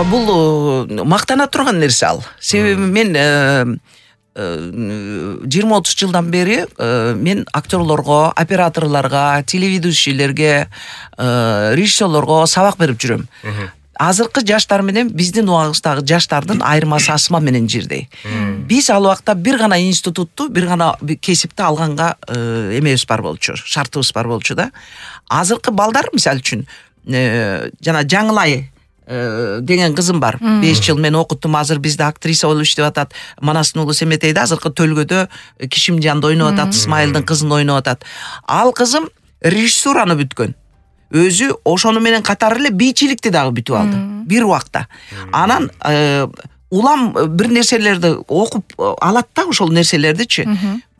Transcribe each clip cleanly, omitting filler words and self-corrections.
Бул мактана турган нерсе ал. Себеби мен 20-30 жылдан бери мен актерлорго, операторлорго, телеведущийлерге, режиссерлорго сабак берип жүрөм. Азыркы жаштар менен биздин убагыбыздагы жаштардын айырмасы асма менен жирдей. Биз ал убакта бир гана институтту, бир гана кесипти алганга эмебиз бар болчу, шартыбыз бар болчу да. Азыркы балдар мисалы үчүн жана Жаңылай деген кызым бар. 5 жыл мен окуттум, азыр бизде актриса болуп иштеп атат. Манастын уулу Семетейде азыркы Төлгөдө Кишимжанды ойноп атат, Исмайылдын кызын ойноп атат. Ал кызым режиссураны бүткөн. Өзү ошону менен катары эле бийчиликти дагы бүтүп алды бир убакта. Анан улам бир нерселерди окуп алат да, ошол нерселердичи.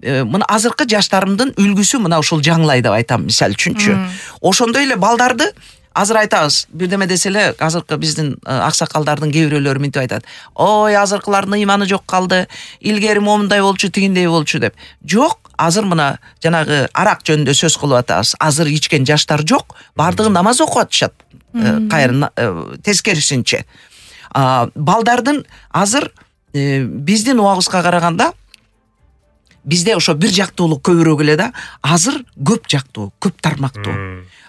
Мына азыркы жаштарымдын үлгүсү мына ушул Жаңылай деп айтам мисалы үчүнчү. Ошондой эле балдарды азыр айтабыз, бирдеме десе эле азыркы биздин аксакалдардын кээ бирөөлөрү мынтип айтат. Ой, азыркылардын ыйманы жок калды. Илгери момундай болчу, тигиндей болчу деп. Жок, азыр мына жанагы арак жөнүндө сөз кылып атабыз. Азыр ичкен жаштар жок, бардыгы намаз окуп атышат. Кайры тескерисинче. Балдардын азыр биздин убагыбызга караганда бизде ошо бир жактуулук көбүрөөк эле да, азыр көп жактуу, көп тармактуу.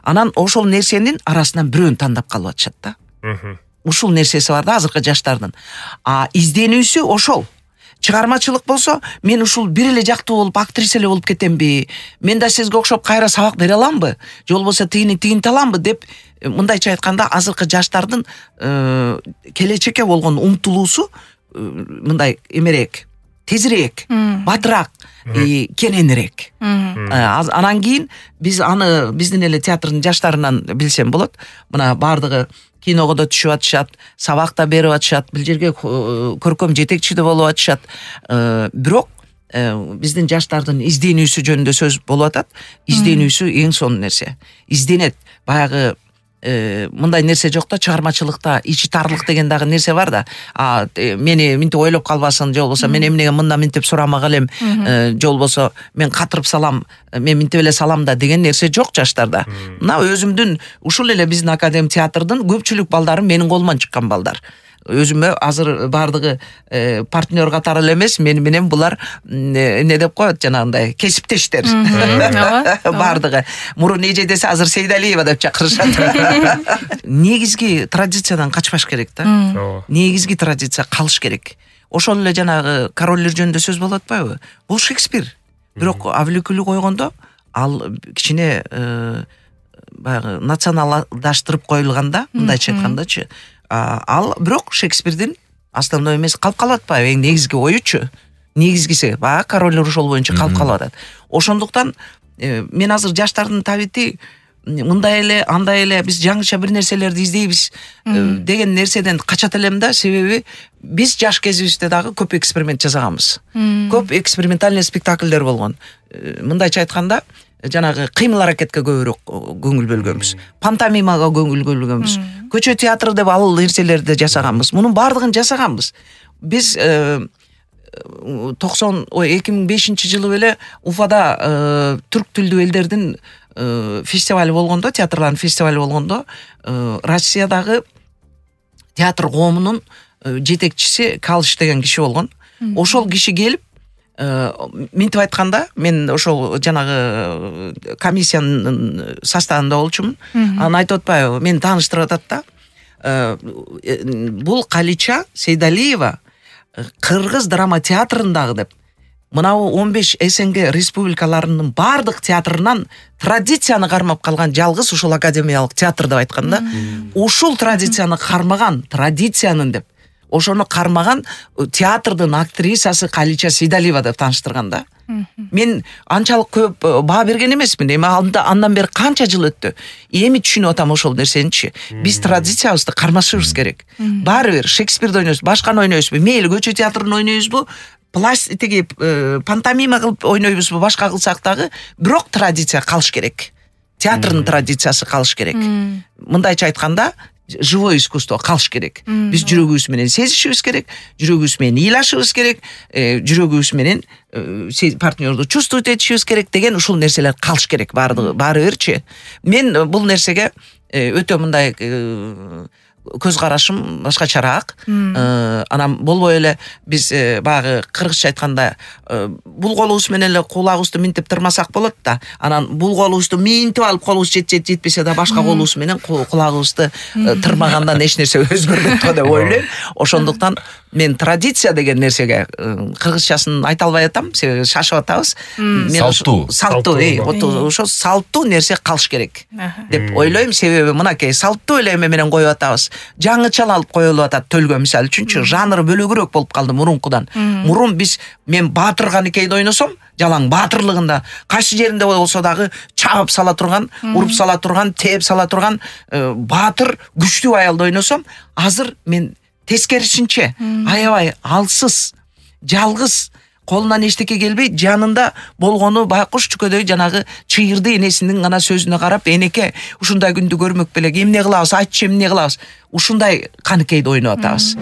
Анан ошол нерсенин арасынан бирөөнү тандап калып атышат да. Ушул нерсеси бар да азыркы жаштардын. Изденүүсү ошол. Чыгармачылык болсо, мен ушул бир эле жактуу болуп актриса эле болуп кетемби? Мен да сизге окшоп кайра сабак бере аламбы? Же болбосо тигинти аламбы деп, мындайча айтканда азыркы жаштардын келечекке болгон умтулуусу мындай эмерээк, тезирээк, батыраак, кененирээк. Анан кийин биз аны биздин эле театрдын жаштарынан билсем болот. Мына бардыгы киного да түшүп атышат, сабак да берип атышат, бул жерге көркөм жетекчи да болуп атышат. Бирок биздин жаштардын изденүүсү жөнүндө сөз болуп атат. Изденүүсү эң сонун нерсе. Изденет. Баягы мындай нерсе жок да, чыгармачылыкта ичи тарлык деген дагы нерсе бар да. Мени минтип ойлоп калбасын, же болбосо мен эмнеге мындан минтип сурамак элем, же болбосо мен катырып салам, мен минтип эле салам да деген нерсе жок жаштарда. Мына өзүмдүн ушул эле биздин академ театрдын көпчүлүк балдары менин колуман чыккан балдар. Өзүмө азыр бардыгы партнер катары эле эмес, мени менен булар эмне деп коет, жанагындай кесиптештер. Бардыгы. Мурун эже десе азыр Сейдалиева деп чакырышат. Негизги традициядан качпаш керек да. Негизги традиция калыш керек. Ошол эле жанагы короллер жөнүндө сөз болуп атпайбы? Бул Шекспир. Бирок Авликүлү койгондо ал кичине баягы националдаштырып коюлганда, мындайча айткандачы, ал бирок Шекспирдин основной эмес калып калып атпайбы? Эң негизги оючу. Негизгиси баягы короллер ошол боюнча калып калып атат. Ошондуктан мен азыр жаштардын табити мындай эле, андай эле, биз жаңыча бир нерселерди издейбиз деген нерседен качат элем да, себеби биз жаш кезибизде дагы көп эксперимент жасаганбыз. Көп экспериментальный спектакльдер болгон. Мындайча айтканда, жанагы кыймыл аракетке көбүрөөк көңүл бөлгөнбүз. Пантомимага көңүл бөлгөнбүз. Көчө театры деп ал нерселерди жасаганбыз. Мунун бардыгын жасаганбыз. Биз 2005 жылы беле Уфада түрк тилдүү элдердин фестивали болгондо, театрлардын фестивали болгондо, Россиядагы театр коомунун жетекчиси Калыш деген киши болгон. Ошол киши келип, минтип айтканда, мен ошол жанагы комиссиянын составында болчумун. Анан айтып атпайбы, мени тааныштырып атат да. Бул Калича Сейдалиева Кыргыз драма театрындагы деп. Мынау 15 СНГ республикаларынын бардык театрынан традицияны кармап калган жалгыз ушул академиялык театр деп айтканда, ушул традицияны кармаган, традициянын деп, ошону кармаган театрдын актрисасы Калича Сейдалиева деп тааныштырган да. Мен анчалык көп баа берген эмесмин. Эми андан бери канча жыл өттү. Эми түшүнүп атам ошол нерсеничи. Биз традициябызды кармашыбыз керек. Баары бир Шекспирди ойнойбуз, башканы ойнойбузбу, мейли көчө театрын ойнойбузбу, тиги пантомима кылып ойнойбузбу, башка кылсак дагы, бирок традиция калыш керек. Театрдын традициясы калыш керек. Мындайча айтканда, живое искусство калыш керек. Биз жүрөгүбүз менен сезишибиз керек, жүрөгүбүз менен ыйлашыбыз керек, жүрөгүбүз менен партнерду чувствовать этишибиз керек деген ушул нерселер калыш керек баары бирчи. Мен бул нерсеге өтө мындай көз карашым башкачараак. Анан болбой эле биз баягы кыргызча айтканда бул колубуз менен эле кулагыбызды минтип тырмасак болот да. Анан бул колубузду минтип алып колубуз жетпесе да башка колубуз менен кулагыбызды тырмагандан эч нерсе өзгөрбөйт го деп ойлойм. Ошондуктан мен традиция деген нерсеге кыргызчасын айта албай атам, себеби шашып атабыз. Салтуу, ошо салтуу нерсе калыш керек деп ойлойм. Себеби мынакей салтуу эле эме менен коюп атабыз. Жаңычаланып коюлуп атат төлгө мисалы үчүнчү жанры бөлөгүрөөк болуп калды мурункудан. Мурун мен Баатыр Каныкейди ойносом, жалаң баатырлыгында кайсы жеринде болсо дагы чабып сала турган, уруп сала турган, тээп сала турган баатыр күчтүү аялды ойносом, азыр мен тескерисинче аябай алсыз, жалгыз, колунан эчтеке келбей, жанында болгону байкуш чүкөдөй жанагы чыйырды энесинин гана сөзүнө карап, энеке ушундай күндү көрмөк белек, эмне кылабыз, айтчы эмне кылабыз, ушундай Каныкейди ойноп атабыз.